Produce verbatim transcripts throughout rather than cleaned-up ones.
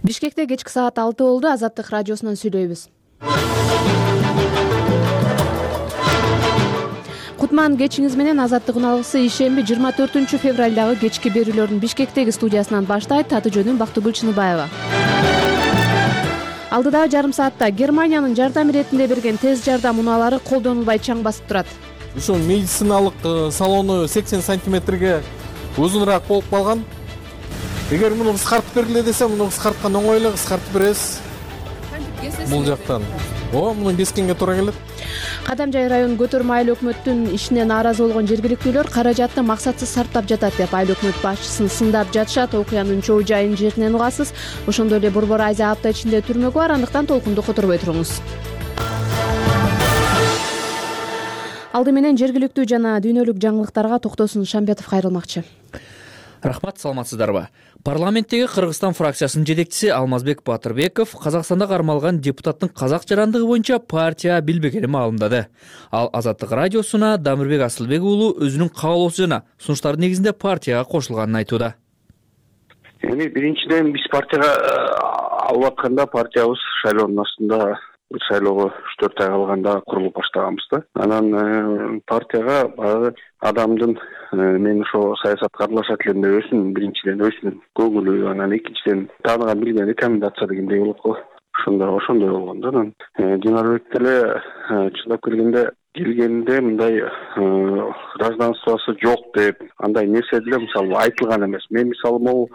Бишкекте кечки саат алты болду. Азаттык радиосунан сүйлөйбүз. Кутман кечиңиз менен. Азаттык уналгысы ишемби жыйырма төртүнчү февралдагы кечки берүүлөрдүн Бишкектеги студиясынан баштайт. Аты жөнүм Бактыгүл Чыныбаева. Алдыдагы жарым саатта Германиянын жардам иретинде берген тез жардам унаалары колдонулбай чаң басып турат. Ушул медициналык салону сексен сантиметрге узунураак болуп калган. Эгер муну кыскартып бергиле десе, муну кыскарткан оңой эле кыскартып беребиз. Бул жактан. О, муну бескенге туура келет. Кадамжай районунун көтөрмө айыл өкмөттүн ишинен нааразы болгон жергиликтүүлөр каражатты максатсыз сарптап жатат деп айыл өкмөт башчысын сындап жатышат. Окуянын чоо жайын жеринен угасыз. Ошондой эле Борбор Айза апта ичинде түрмөгө бар, андыктан толкунду которбой туруңуз. Алды менен жергиликтүү жана дүйнөлүк жаңылыктарга Токтосун Шамбетов кайрылмакчы. Рахмат, саламатсыздарбы? Парламенттеги Кыргызстан фракциясынын жетекчиси Алмазбек Батырбеков Казакстанда кармалган депутаттын казак жарандыгы боюнча партия билбегенин маалымдады. Ал Азаттык радиосуна Дамирбек Асылбек уулу өзүнүн каалоосу жана сунуштары негизинде партияга кошулганын айтууда. Эми биринчиден биз партияга албатканда партиябыз шайлоонун астында бир шайлоого үч төрт ай калганда курулуп баштаганбыз да. Анан партияга баягы адамдын мен ошо саясатка аралашат элем деп өзүнүн биринчиден өзүнүн көңүлү, анан экинчиден тааныган билген рекомендация дегендей болот го. Ошондой ошондой болгон да. Анан Динарбек деле чындап келгенде келгенде мындай гражданствосы жок деп андай нерсе деле мисалы айтылган эмес. Мен мисалы могу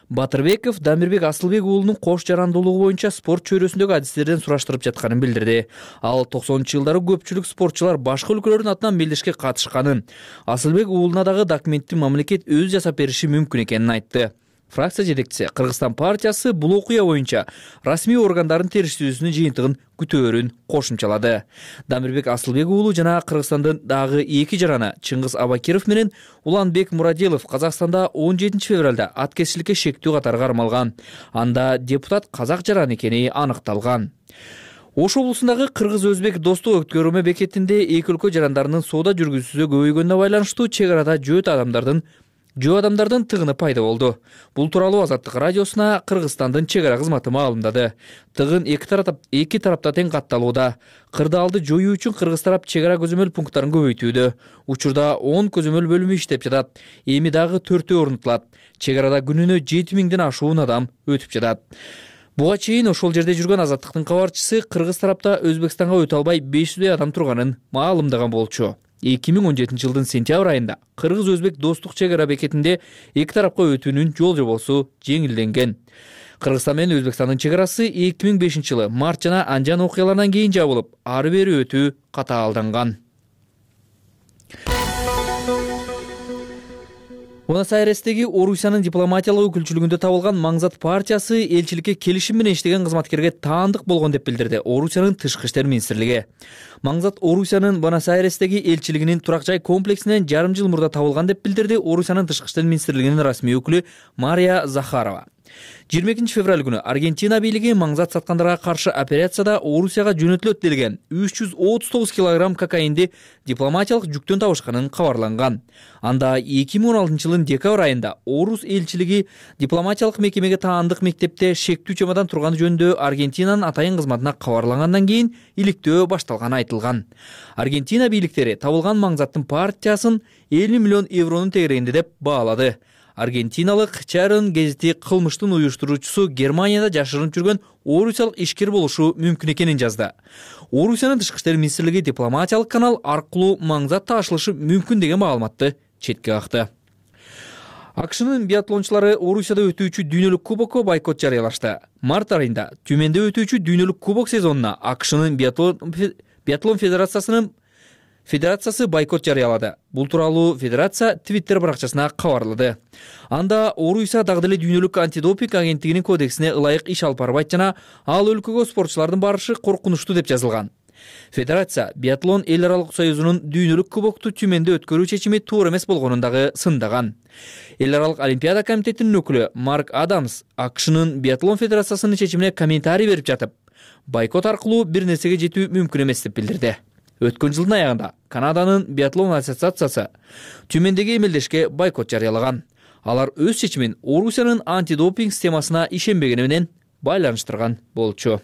Батырбеков Дамирбек Асылбек уулунун кош жарандуулугу боюнча спорт чөйрөсүндөгү адистерден сураштырып жатканын билдирди. Ал токсонунчу жылдары көпчүлүк спортчулар башка өлкөлөрдүн атынан мелдешке катышканын, Асылбек уулуна дагы документти мамлекет өзү жасап бериши мүмкүн экенин айтты. Фракция жетекчиси Кыргызстан партиясы бул окуя боюнча расмий органдардын териштирүүсүнүн жыйынтыгын күтөөрүн кошумчалады. Дамирбек Асылбек уулу жана Кыргызстандын дагы эки жараны Чыңгыз Абакиров менен Уланбек Мурадилов Казакстанда он жетинчи февралда аткезчиликке шектүү катары кармалган. Анда депутат казак жараны экени аныкталган. Ош облусундагы кыргыз-өзбек достук өткөрмө бекетинде эки өлкө жарандарынын соода жүргүзүүсү көбөйгөнүнө байланыштуу чек арада жөөт адамдардын жөө адамдардын тыгыны пайда болду. Бул тууралуу Азаттык радиосуна Кыргызстандын чек ара кызматы маалымдады. Тыгын эки тарап эки тарапта тең катталууда. Кырдаалды жоюу үчүн кыргыз тарап чек ара көзөмөл пункттарын көбөйтүүдө. Учурда он көзөмөл бөлүмү иштеп жатат. Эми дагы төртөө орнотулат. Чек арада күнүнө жети миңден ашуун адам өтүп жатат. Буга чейин ошол жерде жүргөн Азаттыктын кабарчысы кыргыз тарапта Өзбекстанга өтө албай беш жүздөй адам турганын маалымдаган болчу. эки миң он жетинчи жылдын сентябрь айында кыргыз-өзбек достук чек ара бекетинде эки тарапка өтүүнүн жол жобосу жеңилденген. Кыргызстан менен Өзбекстандын чек арасы эки миң бешинчи жылы март жана анжан окуяларынан кийин жабылып, ары бери өтүү катаалданган. Буэнос-Айрестеги Орусиянын дипломатиялык өкүлчүлүгүндө табылган Маңзат партиясы элчиликке келишим менен иштеген кызматкерге таандык болгон деп билдирди Орусиянын тышкы иштер министрлиги. Маңзат Орусиянын Буэнос-Айрестеги элчилигинин турак жай комплексинен жарым жыл мурда табылган деп билдирди Орусиянын тышкы иштер министрлигинин расмий өкүлү Мария Захарова. жыйырма экинчи февраль күнү Аргентина бийлиги Маңзат саткандарга каршы операцияда Орусияга жөнөтүлөт делген үч жүз отуз тогуз килограмм кокаинди дипломатиялык жүктөн табышканын кабарланган. Анда эки миң он алтынчы жылдын декабрь айында Орус элчилиги дипломатиялык мекемеге таандык мектепте шектүү чемодан турганы жөнүндө Аргентинанын атайын кызматына кабарлагандан кийин иликтөө башталганы айтылган. Аргентина бийликтери табылган Маңзаттын партиясын элүү миллион евронун тегерегинде деп баалады. Аргентиналык Чарон гезити кылмыштын уюштуруучусу Германияда жашырынып жүргөн орусиялык ишкер болушу мүмкүн экенин жазды. Орусиянын тышкы иштер министрлиги дипломатиялык канал аркылуу Маңзат таашылышы мүмкүн деген маалыматты четке какты. АКШнын биатлончулары Орусияда өтүүчү дүйнөлүк кубокко бойкот жарыялашты. Март айында Түмөндө өтүүчү дүйнөлүк кубок сезонуна АКШнын биатлон биатлон федерациясынын Федерациясы бойкот жарыялады. Бул тууралуу федерация Твиттер баракчасына кабарлады. Анда Орусия дагы деле дүйнөлүк антидопинг агенттигинин кодексине ылайык иш алып барбайт жана ал өлкөгө спортчулардын барышы коркунучтуу деп жазылган. Федерация биатлон эл аралык союзунун дүйнөлүк кубокту Түмөндө өткөрүү чечими туура эмес болгонун дагы сындаган. Эл аралык олимпиада комитетинин өкүлү Марк Адамс АКШнын биатлон федерациясынын чечимине комментарий берип жатып, бойкот аркылуу бир нерсеге жетүү мүмкүн эмес деп билдирди. Өткөн жылдын аягында Канаданын биатлон ассоциациясы Түмөндөгү эмелдешке бойкот жарыялаган. Алар өз чечимин Орусиянын антидопинг системасына ишенбегени менен байланыштырган болчу.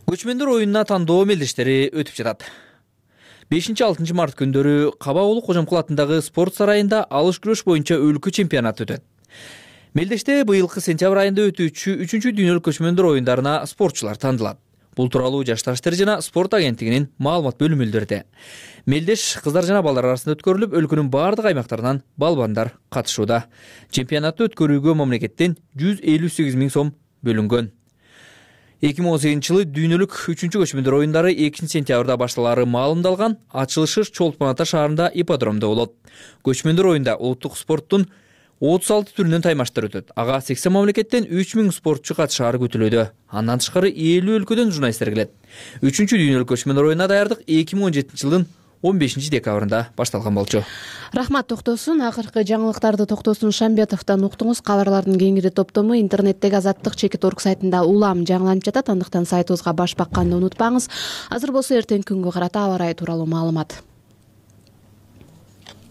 Көчмөндөр оюнуна тандоо мелдештери өтүп жатат. бешинчи алтынчы март күндөрү Кабаулу Кожомкул атындагы спорт сарайында алыш күрөш боюнча өлкө чемпионаты өтөт. Мелдеште быйылкы сентябрь айында өтүүчү үчүнчү дүйнөлүк көчмөндөр оюндарына спортчулар тандалат. Бул тууралуу Жаштар иштери жана спорт агенттигинин маалымат бөлүмү билдирди. Мелдеш кыздар жана балдар арасында өткөрүлүп, өлкөнүн бардык аймактарынан балбандар катышууда. Чемпионатты өткөрүүгө мамлекеттен жүз элүү сегиз миң сом бөлүнгөн. эки миң он сегизинчи жылы дүйнөлүк үчүнчү көчмөндөр оюндары экинчи сентябрда башталары маалымдалган. Ачылышы Чолпон Ата шаарында ипподромдо болот. Көчмөндөр оюнда улуттук спорттун отуз алты түрүнөн таймаштар өтөт. Ага сексен мамлекеттен үч миң спортчу катышаары күтүлүүдө. Андан тышкары элүү өлкөдөн журналисттер келет. үчүнчү дүйнөлүк көчмөндөр оюнуна даярдык эки миң он жетинчи жылдын он бешинчи декабрында башталган болчу. Рахмат Токтосун. Акыркы жаңылыктарды Токтосун Шамбетовдон уктуңуз. Кабарлардын кеңири топтому интернеттеги Азаттык чекит орг сайтында улам жаңыланып жатат. Андыктан сайтыбызга баш бакканды унутпаңыз. Азыр болсо эртең күнгө карата аба ырайы тууралуу маалымат.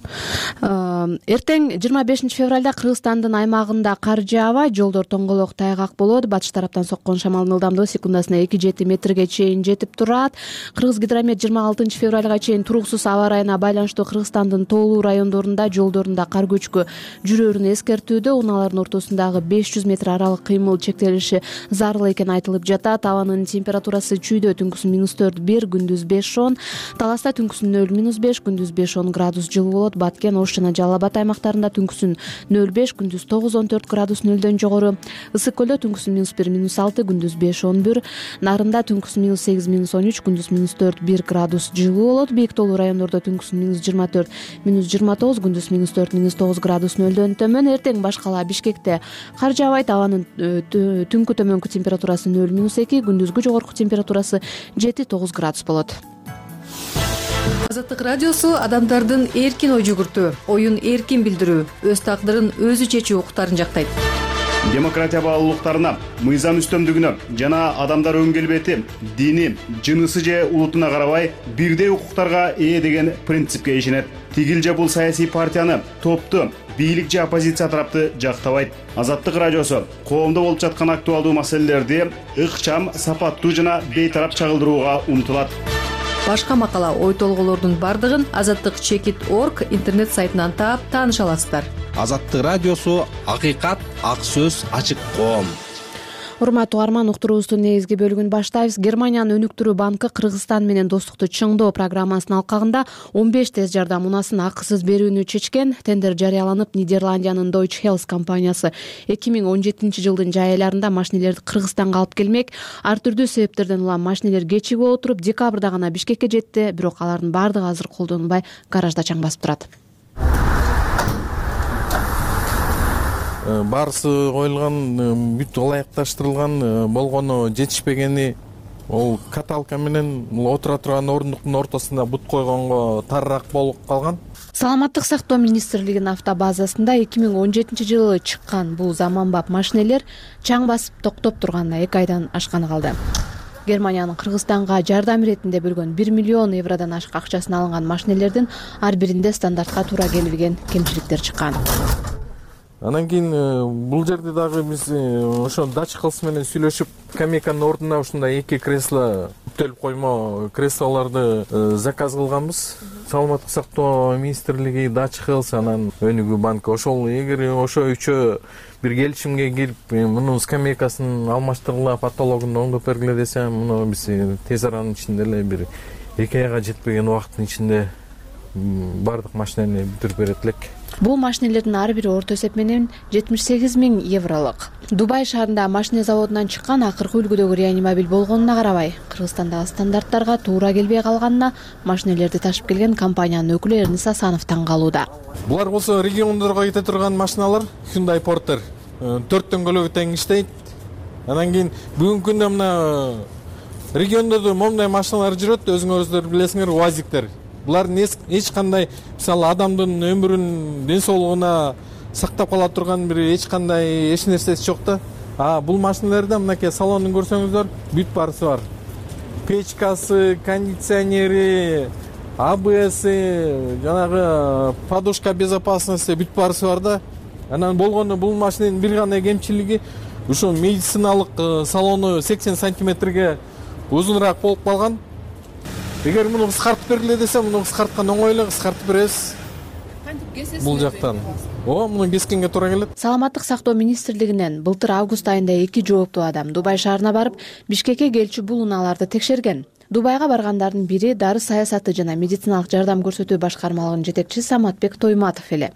Эртең жыйырма бешинчи февралда Кыргызстандын аймагында кар жаабай, жолдор тоңголок тайгак болот. Батыш тараптан соккон шамалдын ылдамдыгы секундасына эки жети метрге чейин жетип турат. Кыргызгидромет жыйырма алтынчы февралга чейин туруксуз аба ырайына байланыштуу Кыргызстандын тоолуу райондорунда жолдорунда кар көчкү жүрөөрүн эскертүүдө. Унаалардын ортосундагы беш жүз метр аралык кыймыл чектелиши зарыл экени айтылып жатат. Абанын температурасы чүйдө түнкүсүн минус төрт бир, күндүз беш он, Таласта түнкүсүн нөл минус беш, күндүз беш он градус жылуу болот. Баткен, Ош жана Жалал Абад аймактарында түнкүсүн нөл беш, күндүз тогуз он төрт градус нөлдөн жогору. Ысык көлдө түнкүсүн минус бир минус алты, күндүз беш он бир. Нарында түнкүсүн минус сегиз минус он үч, күндүз минус төрт бир градус жылуу болот. Бийик тоолуу райондордо түнкүсүн минус жыйырма төрт минус жыйырма тогуз, күндүз минус төрт минус тогуз градус нөлдөн төмөн. Эртең баш кала Бишкекте кар жаабайт. Абанын түнкү төмөнкү температурасы нөл минус эки, күндүзгү жогорку температурасы жети тогуз градус болот. Азаттык радиосу адамдардын эркин ой жүгүртүү, оюн эркин билдирүү, өз тагдырын өзү чечүү укуктарын жактайт. Демократия баалуулуктарына, мыйзам үстөмдүгүнө жана адамдар өн келбети, дини, жынысы же улутуна карабай бирдей укуктарга ээ деген принципке ишенет. Тигил же бул саясий партияны, топту, бийлик же оппозиция тарапты жактабайт. Азаттык радиосу коомдо болуп жаткан актуалдуу маселелерди ыкчам, сапаттуу жана бейтарап чагылдырууга умтулат. Башка макала, ой толголордун бардыгын азаттык чекит орг интернет сайтынан таап тааныша аласыздар. Азаттык радиосу акыйкат, ак сөз, ачык коом. Урматтуу угарман, уктуруубуздун негизги бөлүгүн баштайбыз. Германиянын өнүктүрүү банкы Кыргызстан менен достукту чыңдоо программасынын алкагында он беш тез жардам унасын акысыз берүүнү чечкен. Тендер жарыяланып, Нидерландиянын Deutsche Health компаниясы эки миң он жетинчи жылдын жай айларында машинелерди Кыргызстанга алып келмек. Ар түрдүү себептерден улам машинелер кечигип отуруп, декабрда гана Бишкекке жетти, бирок алардын бардыгы азыр колдонулбай гаражда чаң басып турат. Баарысы коюлган, бүт ылайыкташтырылган, болгону жетишпегени ол каталка менен отура турган ордуктун ортосунда бут койгонго тарыраак болуп калган. Саламаттык сактоо министрлигинин автобазасында эки миң он жетинчи жылы чыккан бул заманбап машинелер чаң басып токтоп турганына эки айдан ашканы калды. Германиянын Кыргызстанга жардам иретинде бөлгөн бир миллион евродон ашык акчасын алынган машинелердин ар биринде стандартка туура келбеген кемчиликтер чыккан. Анан кийин бул жерде дагы биз ошо Dutch Health менен сүйлөшүп, скамейканын ордуна ушундай эки кресло, бүтөлүп коймо креслолорду заказ кылганбыз. Саламаттык сактоо министрлиги, Dutch Health, анан өнүгүү банкы. Ошол эгер ошо үчөө бир келишимге кирип, мунун скамейкасын алмаштыргыла, патологун оңдоп бергиле десе, муну биз тез аранын ичинде эле бир эки айга жетпеген убакыттын ичинде бардык машинени бүтүрүп берет элек. Бул машинелердин ар бири орто эсеп менен жетимиш сегиз миң евролук. Дубай шаарында машина заводунан чыккан акыркы үлгүдөгү реанимобиль болгонуна карабай, Кыргызстандагы стандарттарга туура келбей калганына машинелерди ташып келген компаниянын өкүлү Эрнис Асанов таң калууда. Булар болсо региондорго кете турган машиналар, Hyundai Porter төрт дөңгөлөгү тең иштейт. Анан кийин бүгүнкү күндө мына региондордо момундай машиналар жүрөт, өзүңөрдөр билесиңер, УАЗиктер. Булардын эч кандай, мисалы, адамдын өмүрүн, ден соолугуна сактап кала турган бир эч кандай эч нерсеси жок да. А бул машиналарда мынакей салонун көрсөңүздөр, бүт баарысы бар. Печкасы, кондиционери, АБСи, жанагы подушка безопасности бүт баарысы бар да. Анан болгону бул машинанын бир гана кемчилиги, Ушу медициналык салону сексен сантиметрге узунураак болуп калган. Эгер муну кыскартып бергиле десе, муну кыскарткан оңой эле, кыскартып беребиз. Кантип кесесиз? Бул жактан. Ооба, муну кескенге туура келет. Саламаттык сактоо министрлигинен былтыр август айында эки жооптуу адам Дубай шаарына барып, Бишкекке келчү бул унааларды текшерген. Дубайга баргандардын бири дары саясаты жана медициналык жардам көрсөтүү башкармалыгынын жетекчиси Саматбек Тойматов эле.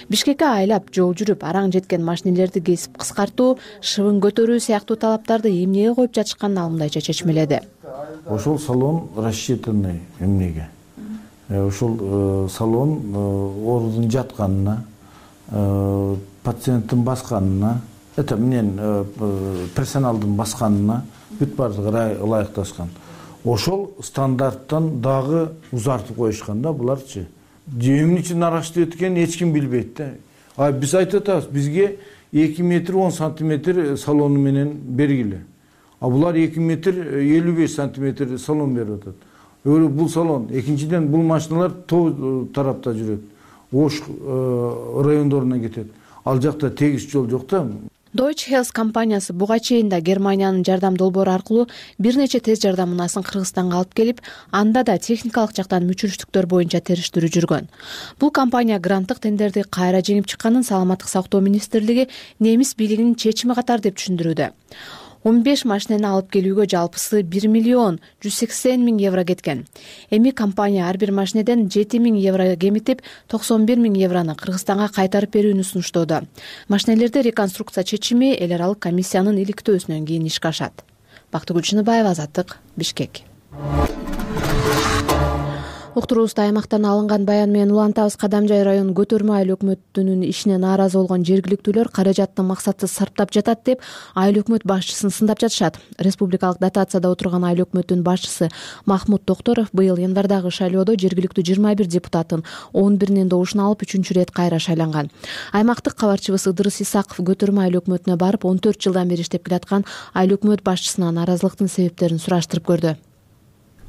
Бишкекке айлап жол жүрүп, араң жеткен машинелерди кесип кыскартуу, шыбын көтөрүү сыяктуу талаптарды эмнеге коюп жатышканын ал мындайча чечмеледи. Ошол салон рассчитанный эмнеге? Ошол салон оорудун жатканына, пациенттин басканына, это менен персоналдын басканына бүт баардыгы ылайыкташкан. Ошол стандарттан дагы узартып коюшкан да буларчы. Эмне үчүн аракчы эткенин эч ким билбейт да. А биз айтып атабыз, бизге эки метр он сантиметр салону менен бергиле. А булар эки метр элүү беш сантиметр салон берип атат. Бул салон, экинчиден бул машиналар тоо тарапта жүрөт. Ош райондоруна кетет. Ал жакта тегиз жол жок да. Deutsche Health компаниясы буга чейин да Германиянын жардам долбоору аркылуу бир нече тез жардам унасын Кыргызстанга алып келип, анда да техникалык жактан мүчүрүштүктөр боюнча териштирүү жүргөн. Бул компания гранттык тендерди кайра жеңип чыкканын Саламаттык сактоо министрлиги немис бийлигинин чечими катар деп түшүндүрүүдө. он беш машинени алып келүүгө жалпысы бир миллион жүз сексен миң евро кеткен. Эми компания ар бир машинеден жети миң евро кемитип, токсон бир миң еврону Кыргызстанга кайтарып берүүнү сунуштоодо. Машинелерди реконструкция чечими эл аралык комиссиянын иликтөөсүнөн кийин ишке ашат. Бактыгүл Чыныбаева, Азаттык, Бишкек. Уктуруубузда аймактан алынган баян менен улантабыз. Кадамжай район көтөрмө айыл өкмөтүнүн ишине нааразы болгон жергиликтүүлөр каражатты максатсыз сарптап жатат деп айыл өкмөт башчысын сындап жатышат. Республикалык дотацияда отурган айыл өкмөтүнүн башчысы Махмут Токторов быйыл январдагы шайлоодо жергиликтүү жыйырма бир депутаттын он биринин добушун алып үчүнчү ирет кайра шайланган. Аймактык кабарчыбыз Ыдырыс Исаков көтөрмө айыл өкмөтүнө барып, он төрт жылдан бери иштеп келаткан айыл өкмөт башчысына нааразылыктын себептерин сураштырып көрдү.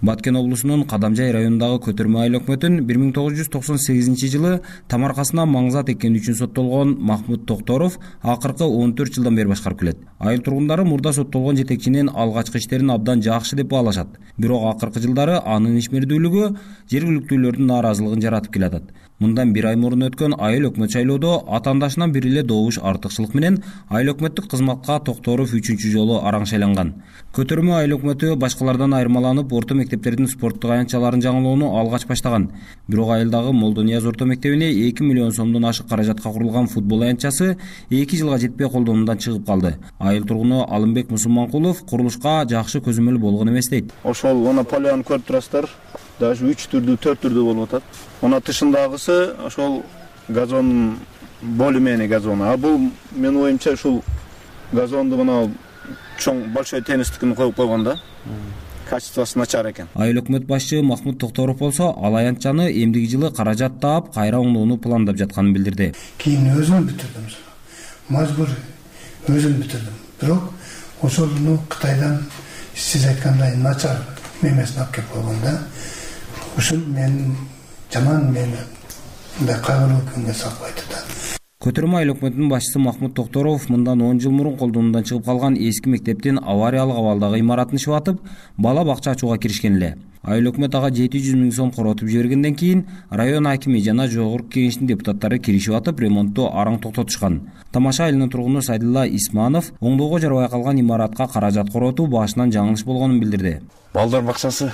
Баткен облусунун Кадамжай районундагы көтөрмө айыл өкмөтүн бир миң тогуз жүз токсон сегизинчи жылы тамаркасына маңзат эккени үчүн соттолгон Махмут Токторов акыркы он төрт жылдан бери башкарып келет. Айыл тургундары мурда соттолгон жетекчинин алгачкы иштерин абдан жакшы деп баалашат. Бирок акыркы жылдары анын ишмердүүлүгү жергиликтүүлөрдүн нааразылыгын жаратып келатат. Мындан бир ай мурун өткөн айыл өкмөт шайлоодо атаандашынан бир эле добуш артыкчылык менен айыл өкмөттүк кызматка Токторов үчүнчү жолу араң шайланган. Көтөрмө айыл өкмөтү башкалардан айырмаланып, орто мектептердин спорттук аянтчаларын жаңылоону алгач баштаган. Бирок айылдагы Молдонияз орто мектебине эки миллион сомдон ашык каражатка курулган футбол аянтчасы эки жылга жетпей колдонуудан чыгып калды. Айыл тургуну Алымбек Мусулманкулов курулушка жакшы көзөмөл болгон эмес дейт. Ошол она поляны көрүп турасыздар. Даже үч түрдүү, төрт түрдүү болуп атат. Она тышындагысы ошол газон более-менее газон. А бул менин оюмча ушул газонду мына чоң большой теннистикин коюп койгон да. Качествосы начар экен. Айыл өкмөт башчы Махмут Токторов болсо ал аянтчаны эмдиги жылы каражат таап кайра оңдоону пландап жатканын билдирди. Кийин өзүм бүтүрдүм. Мажбур өзүм бүтүрдүм. Бирок ошону Кытайдан сиз айткандай начар мемесин алып келип койгон да. Ушул мен жаман мени мындай кайгылуу күнгө салып койду да. Көтөрмө айыл өкмөтүнүн башчысы Махмут Токторов мындан он жыл мурун колдонуудан чыгып калган эски мектептин авариялык абалдагы имаратын шыбатып, бала бакча ачууга киришкен эле. Айыл өкмөт ага жети жүз миң сом коротуп жибергенден кийин район акими жана жогорку кеңештин депутаттары киришип атып, ремонтту араң токтотушкан. Тамаша айылынын тургуну Сайдулла Исманов оңдоого жарабай калган имаратка каражат коротуу башынан жаңылыш болгонун билдирди. Балдар бакчасы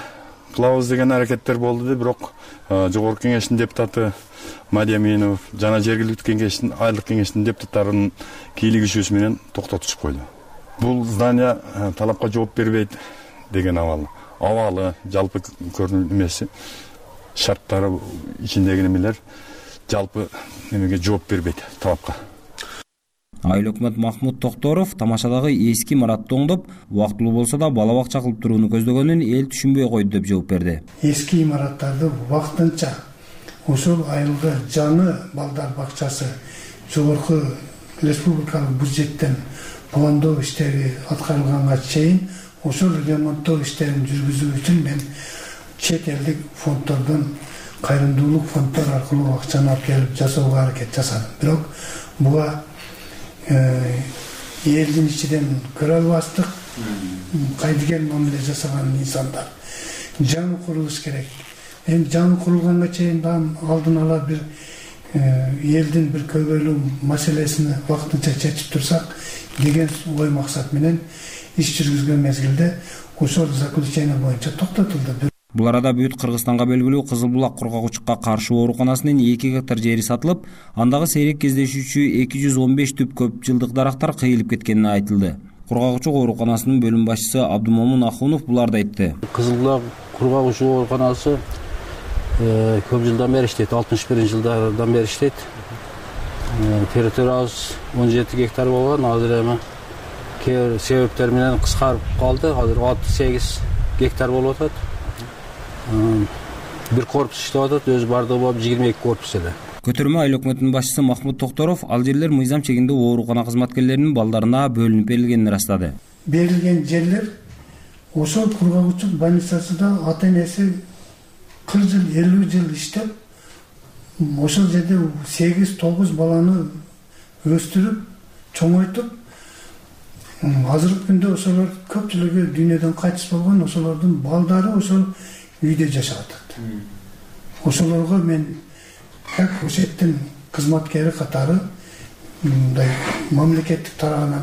кылабыз деген аракеттер болду, бирок жогорку кеңештин депутаты Мадия Минов жана жергиликтүү кеңештин, айылдык кеңештин депутаттарынын кийлигишүүсү менен токтотушуп койду. Бул здание талапка жооп бербейт деген абал. Абалы, жалпы көрүнүш эмеси, шарттары ичиндеги немелер жалпы немеге жооп бербейт талапка. Айыл өкмөт Махмут Токторов тамашадагы эски имаратты оңдоп, убактылуу болсо да бала бакча кылып турууну көздөгөнүн эл түшүнбөй койду деп жооп берди. Эски имараттарды убактынча ошол айылга жаңы балдар бакчасы жогорку республикалык бюджеттен пландоо иштери аткарылганга чейин ошол ремонттоо иштерин жүргүзүү үчүн мен чет элдик фонддордон, кайрымдуулук фонддор аркылуу акчаны алып келип жасоого аракет жасадым. Бирок буга элдин ичинен көрө албастык кайдыгер мамиле жасаган инсандар. Жаңы курулуш керек. Эми жаңы курулганга чейин алдын ала бир элдин бир көбөлүү маселесин вакытынча чечип турсак деген ой максат менен иш жүргүзгөн мезгилде ошол заключение боюнча токтотулду. Бул арада бүт Кыргызстанга белгилүү Кызыл булак кургагучукка каршы ооруканасынын эки гектар жери сатылып, андагы сейрек кездешүүчү эки жүз он беш түп көп жылдык дарактар кыйылып кеткени айтылды. Кургагучук ооруканасынын бөлүм башчысы Абдумомун Ахунов буларды айтты. Кызыл булак кургагучук ооруканасы көп жылдан бери иштейт, алтымыш биринчи жылдардан бери иштейт. Территориябыз он жети гектар болгон, азыр эми кээ себептер менен кыскарып калды. Азыр отуз сегиз гектар болуп атат. Бир корпус иштеп атат, өзү бардыгы болуп жыйырма эки корпус эле. Көтөрмө айыл өкмөтүнүн башчысы Махмут Токторов ал жерлер мыйзам чегинде оорукана кызматкерлеринин балдарына бөлүнүп берилгенин ырастады. Берилген жерлер ошол кургагучук больницасында ата энеси кырк жыл, элүү жыл иштеп, ошол жерде сегиз тогуз баланы өстүрүп, чоңойтуп, азыркы күндө ошолор көпчүлүгү дүйнөдөн кайтыс болгон, ошолордун балдары ошол үйдө жашап атат. Ошолорго мен как ошеттин кызматкери катары мындай мамлекеттик тарабынан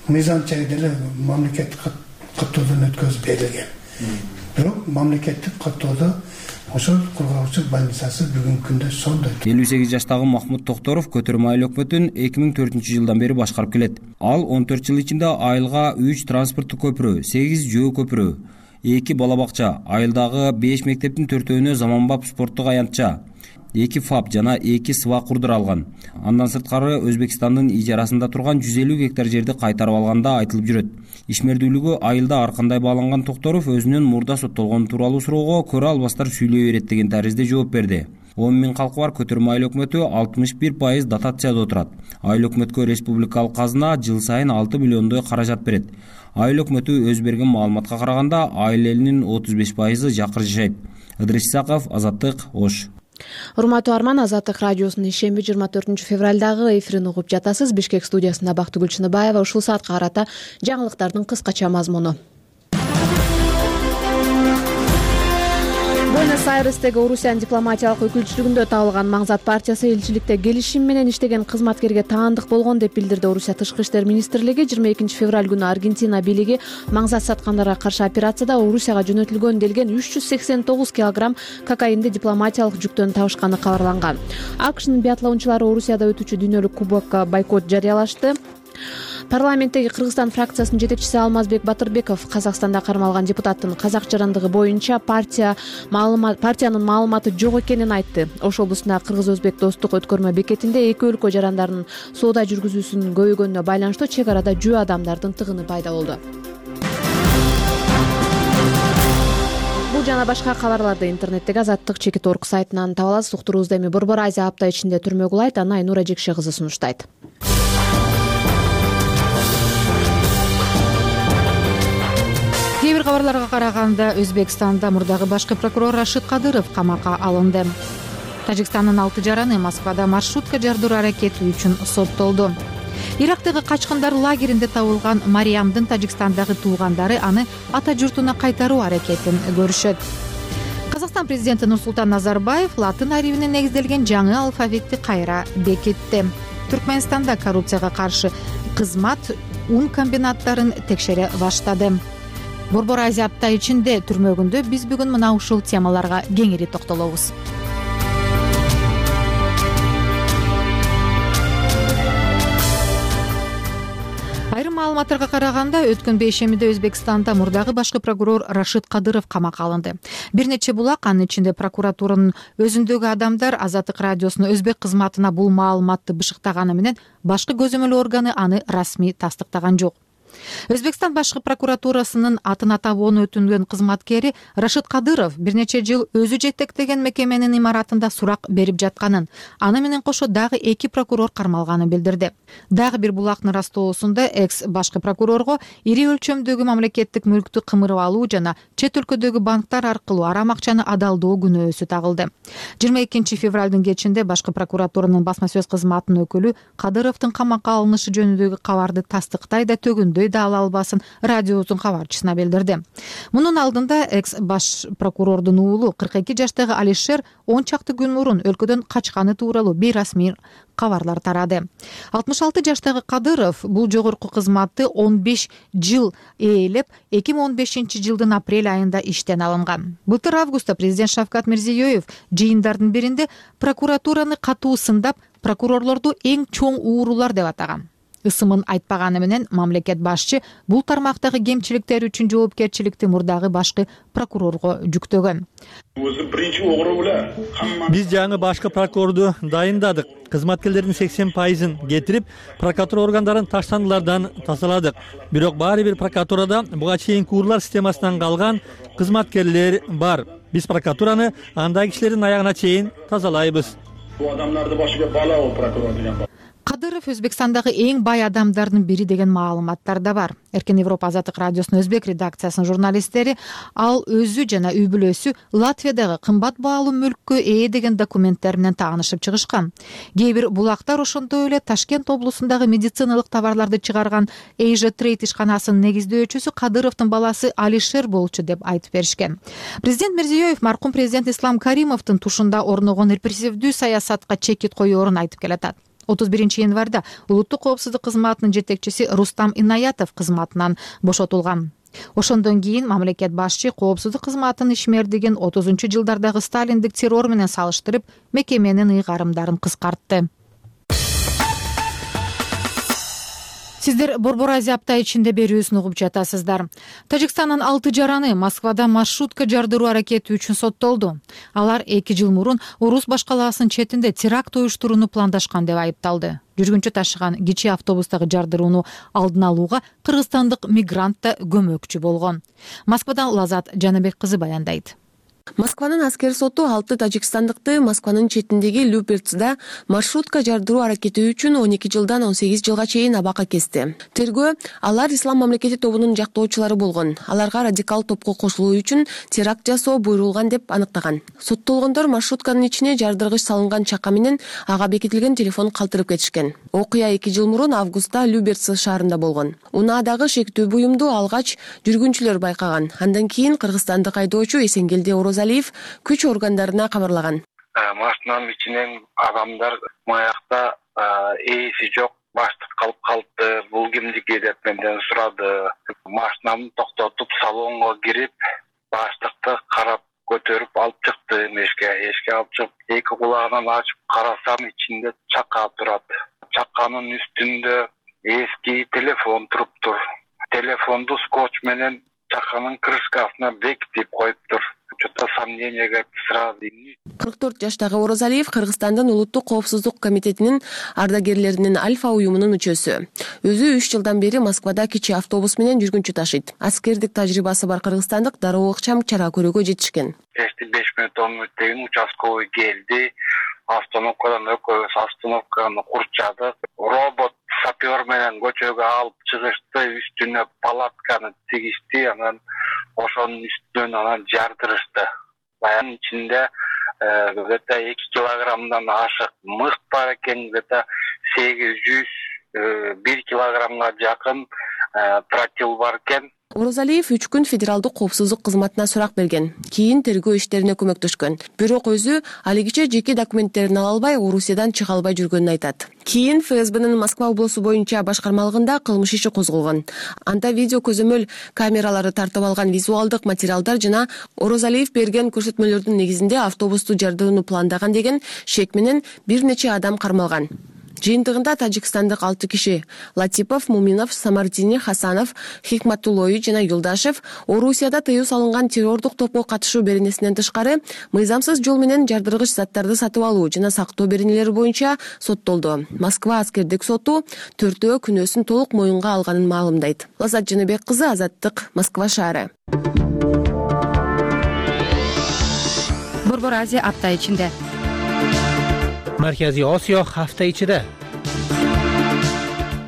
мыйзам чегинде эле мамлекеттик каттоодон өткөзүп берилген. Бирок мамлекеттик каттоодо ошол кургагучук больницасы бүгүнкү күндө сондай. элүү сегиз жаштагы Махмут Токторов Көтөрмө айыл өкмөтүн эки миң төртүнчү жылдан бери башкарып келет. Ал он төрт жыл ичинде айылга үч транспорттук көпүрө, сегиз жөө көпүрө, эки бала бакча, айылдагы беш мектептин төртөөнө заманбап спорттук аянтча, эки фап жана эки сыба курдур алган. Андан сырткары Өзбекстандын ижарасында турган жүз элүү гектар жерди кайтарып алганда айтылып жүрөт. Ишмердүүлүгү айылда ар кандай бааланган Токторов өзүнүн мурда соттолгону тууралуу суроого көрө албастар сүйлөй берет деген таризде жооп берди. он миң калкы бар Көтөрмө айыл өкмөтү алтымыш бир пайыз дотацияда отурат. Айыл өкмөткө республикалык казына жыл сайын алты миллиондой каражат берет. Айыл өкмөтү өз берген маалыматка караганда айыл элинин отуз беш пайызы жакыр жашайт. Ыдрис Исаков, Азаттык, Ош. Урматтуу арман, Азаттык радиосунун ишемби жыйырма төртүнчү февралдагы эфирин угуп жатасыз. Бишкек студиясында Бактыгүл Чыныбаева. Ушул саатка карата жаңылыктардын кыскача мазмуну. Буэнос-Айрестеги Орусиянын дипломатиялык өкүлчүлүгүндө табылган Маңзат партиясы элчиликте келишим менен иштеген кызматкерге таандык болгон деп билдирди Орусия Тышкы иштер министрлиги. жыйырма экинчи февраль күнү Аргентина бийлиги Маңзат саткандарга каршы операцияда Орусияга жөнөтүлгөн делген үч жүз сексен тогуз килограмм кокаинди дипломатиялык жүктөн табышканы кабарланган. АКШнын биатлончулары Орусияда өтүүчү дүйнөлүк кубокко бойкот жарыялашты. Парламенттеги Кыргызстан фракциясынын жетекчиси Алмазбек Батырбеков Казакстанда кармалган депутаттын казак жарандыгы боюнча партия маалымат партиянын маалыматы жок экенин айтты. Ош облусундагы Кыргыз-Өзбек достук өткөрмө бекетинде эки өлкө жарандарынын соода жүргүзүүсүнүн көбөйгөнүнө байланыштуу чек арада жөө адамдардын тыгыны пайда болду. Бул жана башка кабарларды интернеттеги Азаттык чекит точка орг сайтынан таба аласыз. Уктуруубузду эми Борбор Азия апта ичинде түрмө кулайт. Аны Айнура Жекше кызы сунуштайт. Кээ бир кабарларга караганда Өзбекстанда мурдагы башкы прокурор Рашид Кадыров камакка алынды. Тажикстандын алты жараны Москвада маршрутка жардыруу аракети үчүн соттолду. Ирактагы качкындар лагеринде табылган Мариямдын Тажикстандагы туугандары аны ата журтуна кайтаруу аракетин көрүшөт. Казакстан президенти Нурсултан Назарбаев латын арибине негизделген жаңы алфавитти кайра бекитти. Түркмөнстанда коррупцияга каршы кызмат ун комбинаттарын текшере баштады. Борбор Азия апта ичинде түрмөгүндө биз бүгүн мына ушул темаларга кеңири токтолобуз. Айрым маалыматтарга караганда, өткөн бейшемиде Өзбекстанда мурдагы башкы прокурор Рашид Кадыров камакка алынды. Бир нече булак, анын ичинде прокуратуранын өзүндөгү адамдар Азаттык радиосунун өзбек кызматына бул маалыматты бышыктаганы менен башкы көзөмөл органы аны расмий тастыктаган жок. Өзбекстан башкы прокуратурасынын атын атабоон өтүнгөн кызматкери Рашид Кадыров бир нече жыл өзү жетектеген мекеменин имаратында сурак берип жатканын, аны менен кошо дагы эки прокурор кармалганын билдирди. Дагы бир булактын растоосунда экс башкы прокурорго ири өлчөмдөгү мамлекеттик мүлктү кымырып алуу жана чет өлкөдөгү банктар аркылуу арам акчаны адалдоо күнөөсү тагылды. жыйырма экинчи февралдын кечинде башкы прокуратуранын басма сөз кызматынын өкүлү Кадыровдун камакка алынышы жөнүндөгү кабарды тастыктай да төгүндөй да ала албасын радиосунун кабарчысына билдирди. Мунун алдында экс баш прокурордун уулу кырк эки жаштагы Алишер он чакты күн мурун өлкөдөн качканы тууралуу бейрасмий кабарлар тарады. алтымыш алты жаштагы Кадыров бул жогорку кызматты он беш жыл ээлеп, эки миң он бешинчи жылдын апрель айында иштен алынган. Былтыр августта президент Шавкат Мирзиёев жыйындардын биринде прокуратураны катуу сындап, прокурорлорду эң чоң уурулар деп атаган. Ысымын айтпаганы менен мамлекет башчы бул тармактагы кемчиликтер үчүн жоопкерчиликти мурдагы башкы прокурорго жүктөгөн. Биз жаңы башкы прокурорду дайындадык. Кызматкерлердин сексен пайызын кетирип, прокуратура органдарын таштандылардан тазаладык. Бирок баары бир прокуратурада буга чейинки урлар системасынан калган кызматкерлер бар. Биз прокуратураны андай кишилердин аягына чейин тазалайбыз. Бул адамдарды башыга бала ол прокурор деген. Кадыров Өзбекстандагы эң бай адамдардын бири деген маалыматтар да бар. Эркен Европа Азаттык радиосунун өзбек редакциясынын журналисттери ал өзү жана үй бүлөсү Латвиядагы кымбат баалуу мүлккө ээ деген документтер менен таанышып чыгышкан. Кээ бир булактар ошондой эле Ташкент облусундагы медициналык товарларды чыгарган Asia Trade ишканасынын негиздөөчүсү Кадыровдун баласы Алишер болчу деп айтып беришкен. Президент Мирзиёев маркум президент Ислам Каримовдун тушунда орногон репрессивдүү саясатка чекит коёрун айтып келатат. отуз биринчи январда улуттук коопсуздук кызматынын жетекчиси Рустам Инаятов кызматынан бошотулган. Ошондон кийин мамлекет башчы коопсуздук кызматынын ишмердигин отузунчу жылдардагы сталиндик террор менен салыштырып, мекеменин ыйгарымдарын кыскартты. Сиздер Борбор Азия апта ичинде берүүсүн угуп жатасыздар. Тажикстандын алты жараны Москвада маршрутка жардыруу аракети үчүн соттолду. Алар эки жыл мурун Орус башкалаасынын четинде теракт уюштурууну пландашкан деп айыпталды. Жүргүнчү ташыган кичи автобустагы жардырууну алдын алууга кыргызстандык мигрант да көмөкчү болгон. Москвадан Лазат Жаныбек кызы баяндайт. Москванын аскер соту алты тажикстандыкты Москванын четиндеги Люберцда маршрутка жардыруу аракети үчүн он эки жылдан он сегиз жылга чейин абакка кести. Тергөө алар ислам мамлекети тобунун жактоочулары болгон. Аларга радикал топко кошулуу үчүн теракт жасоо буйрулган деп аныктаган. Соттолгондор маршрутканын ичине жардыргыч салынган чака менен ага бекитилген телефон калтырып кетишкен. Окуя эки жыл мурун августта Люберц шаарында болгон. Унаадагы шектүү буюмду алгач жүргүнчүлөр байкаган. Андан кийин кыргызстандык айдоочу Эсенгелди Орозалиев күч органдарына кабарлаган. Машинанын ичинен адамдар маякта ээси жок, баштык калып калды. Бул кимдики деп менден сурады. Машинамды токтотуп салонго кирип, баштыкты карап көтөрүп алып чыкты эшикке. Эшикке алып чыгып, эки кулагынан ачып карасам, ичинде чака турат. Чаканын үстүндө эски телефон туруптур. Телефонду скотч менен чаканын крышкасына бекитип коюптур. Что-то сомненияга сразу. кырк төрт жаштагы Орозалиев Кыргызстандын улуттук коопсуздук комитетинин ардагерлеринин Альфа уюмунун мүчөсү. Өзү үч жылдан бери Москвада кичи автобус менен жүргүнчү ташыйт. Аскердик тажрыйбасы бар кыргызстандык дароо ыкчам чара көрүүгө жетишкен. беш мүнөт он мүнөттөн участковый келди. Остановкадан экөөбүз остановканы курчадык. Робот сапер менен көчөгө алып чыгышты, үстүнө палатканы тигишти, анан ошонун үстүнөн анан жардырышты. Баянын ичинде где-то эки килограммдан ашык мыкт бар экен, где-то сегиз жүз бир килограммга жакын тротил бар экен. Орозалиев үч күн федералдык коопсуздук кызматына сурак берген. Кийин тергөө иштерине көмөктөшкөн. Бирок өзү алигиче жеке документтерин ала албай, Орусиядан чыга албай жүргөнүн айтат. Кийин эф эс бнын Москва облусу боюнча башкармалыгында кылмыш иши козголгон. Анда видео көзөмөл камералары тартып алган визуалдык материалдар жана Орозалиев берген көрсөтмөлөрдүн негизинде автобусту жардырууну пландаган деген шек менен бир нече адам кармалган. Жыйынтыгында тажикстандык алты киши Латипов, Муминов, Самардини, Хасанов, Хикматуллой жана Юлдашев Орусияда тыюу салынган террордук топко катышуу беренесинен тышкары мыйзамсыз жол менен жардыргыч заттарды сатып алуу жана сактоо беренелери боюнча соттолду. Москва аскердик соту төртөө күнөөсүн толук моюнга алганын маалымдайт. Лазат Жаныбек кызы, Азаттык, Москва шаары. Борбор Азия апта ичинде. Маркази Осиё ҳафта ичида.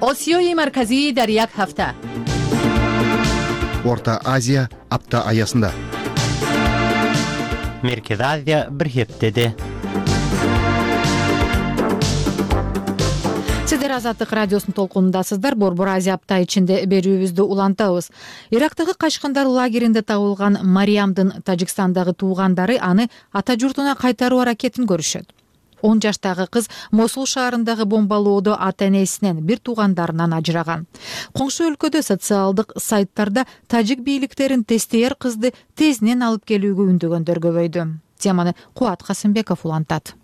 Осиёи марказӣ дар як ҳафта. Орта Азия апта аясында. Меркези Азия бир ҳептеде. Сиздер Азаттык радиосунун толкунундасыздар. Борбор Азия апта ичинде берүүбүздү улантабыз. Ирактагы Кашкандар лагеринде табылган Мариямдын Тажикстандагы туугандары аны ата журтуна кайтаруу аракетин көрүшөт. он жаштагы кыз Мосул шаарындагы бомбалоодо ата-энесинен, бир туугандарынан ажыраган. Коңшу өлкөдө социалдык сайттарда тажик бийликтерин тестейер кызды тезинен алып келүүгө үндөгөндөр көбөйдү. Теманы Кубат Касымбеков улантат.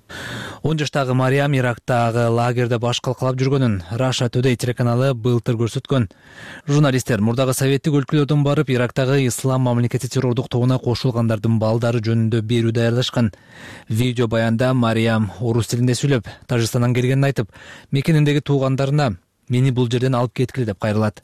он жаштагы Мариям Ирактагы лагерде баш калкалап жүргөнүн Russia Today телеканалы былтыр көрсөткөн. Журналисттер мурдагы советтик өлкөлөрдөн барып Ирактагы ислам мамлекети террордук тобуна кошулгандардын балдары жөнүндө берүү даярдашкан. Видео баянда Мариям орус тилинде сүйлөп, Тажикстандан келгенин айтып, мекениндеги туугандарына мени бул жерден алып кеткиле деп кайрылат.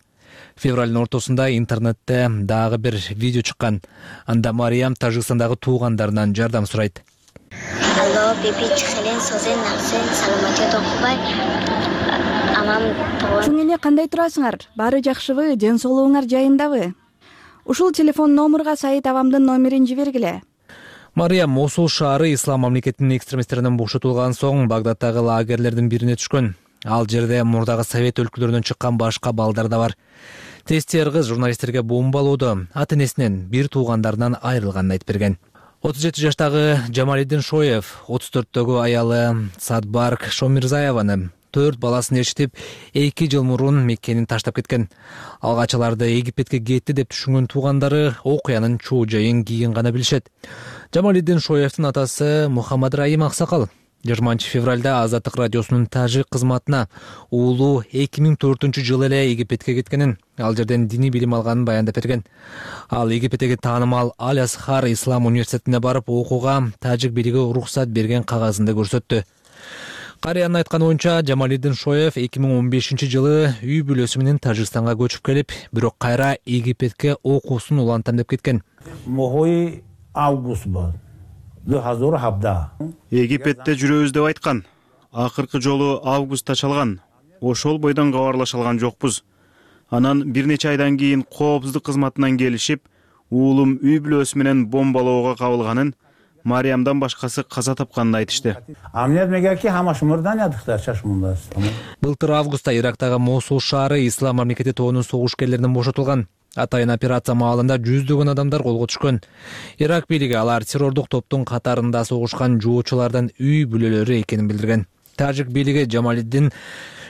Февралдын ортосунда интернетте дагы бир видео чыккан. Анда Мариям Тажикстандагы туугандарынан жардам сурайт. Алло, биби чыхелен созен наксен саламатет окубай. Амам Чуң эне кандай турасыңар? Баары жакшыбы? Ден соолугуңар жайындабы? Ушул телефон номурга Саид абамдын номерин жибергиле. Мариям Мосул шаары ислам мамлекетинин экстремисттеринен бошотулган соң Багдадтагы лагерлердин бирине түшкөн. Ал жерде мурдагы совет өлкөлөрүнөн чыккан башка балдар да бар. Тестер кыз журналисттерге бомбалоодо ата-энесинен, бир туугандарынан айрылганын айтып берген. отуз жети жаштагы Жамалиддин Шоев, отуз төрттөгү аялы Садбарк Шомирзаеваны төрт баласын ээрчитип, эки жыл мурун мекенин таштап кеткен. Алгач аларды Египетке кетти деп түшүнгөн туугандары окуянын чоо жайын кийин гана билишет. Жамалиддин Шоевдин атасы Мухаммад Раим Аксакал жыйырманчы февралда Азаттык радиосунун тажик кызматына уулу эки миң төртүнчү жылы эле Египетке кеткенин, ал жерден диний билим алганын баяндап берген. Ал Египеттеги таанымал Аль-Асхар Ислам университетине барып окууга тажик бийлиги уруксат берген кагазында көрсөттү. Карыянын айтканы боюнча, Жамалиддин Шоев эки миң он бешинчи жылы үй бүлөсү менен Тажикстанга көчүп келип, бирок кайра Египетке окуусун улантам деп кеткен. Мохой август бол. Египетте жүрөбүз деп айткан. Акыркы жолу августта чалган. Ошол бойдон кабарлаша алган жокпуз. Анан бир нече айдан кийин коопсуздук кызматынан келишип, уулум үй бүлөсү менен бомбалоого кабылганын, Мариямдан башкасы каза тапканын айтышты. Былтыр августта Ирактагы Мосул шаары ислам мамлекети тобунун согушкерлеринен бошотулган. Атайын операция маалында жүздөгөн адамдар колго түшкөн. Ирак бийлиги алар террордук топтун катарында согушкан жоочулардан үй бүлөлөрү экенин билдирген. Тажик бийлиги Жамалиддин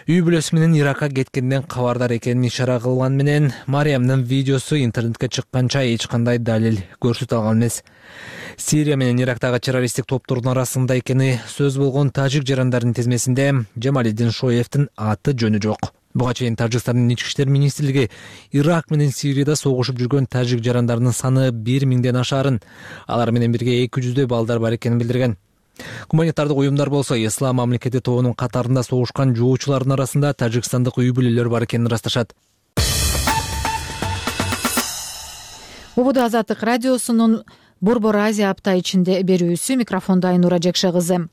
үй бүлөсү менен Иракка кеткенден кабардар экенин ишара кылган менен Мариямдын видеосу интернетке чыкканча эч кандай далил көрсөтө алган эмес. Сирия менен Ирактагы террористтик топтордун арасында экени сөз болгон тажик жарандардын тизмесинде Жамалиддин Шоевдин аты жөнү жок. Буга чейин Тажикстандын ички иштер министрлиги Ирак менен Сирияда согушуп жүргөн тажик жарандарынын саны бир миңден ашаарын, алар менен бирге эки жүздөй балдар бар экенин билдирген. Гуманитардык уюмдар болсо ислам мамлекети тобунун катарында согушкан жоочулардын арасында тажикстандык үй бүлөлөр бар экенин ырасташат. Убуду Азаттык радиосунун Борбор Азия апта ичинде берүүсү, микрофондо Айнура Жекше кызы.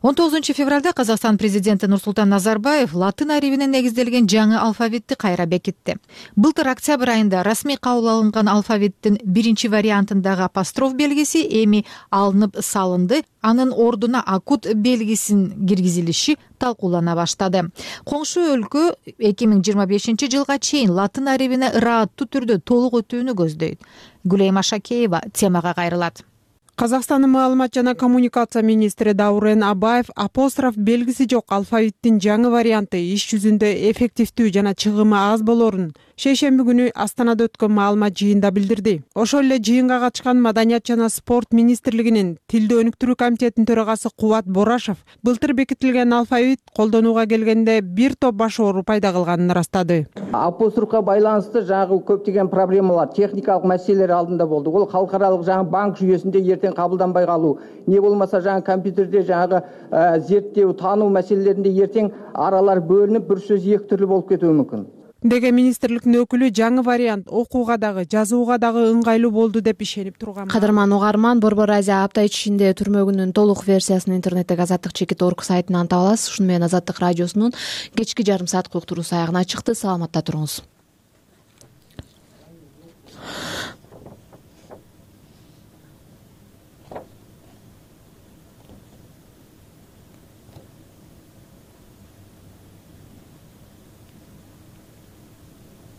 он тогузунчу февралда Казакстан президенти Нурсултан Назарбаев латын арибине негизделген жаңы алфавитти кайра бекитти. Былтыр октябрь айында расмий кабыл алынган алфавиттин биринчи вариантындагы апостроф белгиси эми алынып салынды, анын ордуна акут белгисин киргизилиши талкуулана баштады. Коңшу өлкө эки миң жыйырма бешинчи жылга чейин латын арибине ырааттуу түрдө толук өтүүнү көздөйт. Гулейма Шакеева темага кайрылат. Казакстандын маалымат жана коммуникация министри Даурен Абаев апостроф белгиси жок алфавиттин жаңы варианты иш жүзүндө эффективдүү жана чыгымы аз болорун, шейшемби күнү Астанада өткөн маалымат жыйында билдирди. Ошол эле жыйынга катышкан Маданият жана спорт министрлигинин тилди өнүктүрүү комитетинин төрагасы Кубат Борашев былтыр бекитилген алфавит колдонууга келгенде бир топ баш оору пайда кылганын ырастады. Апострофко байланыштуу жаңы көптөгөн проблемалар, техникалык маселелер алдында болду. Ол халыкаралык жаңы банк жүйөсүндө эртең кабылданбай калуу, не болмаса жаңы компьютерде жаңы зерттөө, таануу маселелеринде эртең аралар бөлүнүп, бир сөз эки түрлүү болуп кетүү мүмкүн деген министрликтин өкүлү жаңы вариант окууга дагы, жазууга дагы ыңгайлуу болду деп ишенип турган. Кадырман угарман, Борбор Азия апта ичинде түрмөгүнүн толук версиясын интернеттеги азаттык чекит точка орг сайтынан таба аласыз. Ушуну менен Азаттык радиосунун кечки жарым сааттык уктуруусу аягына чыкты. Саламатта туруңуз.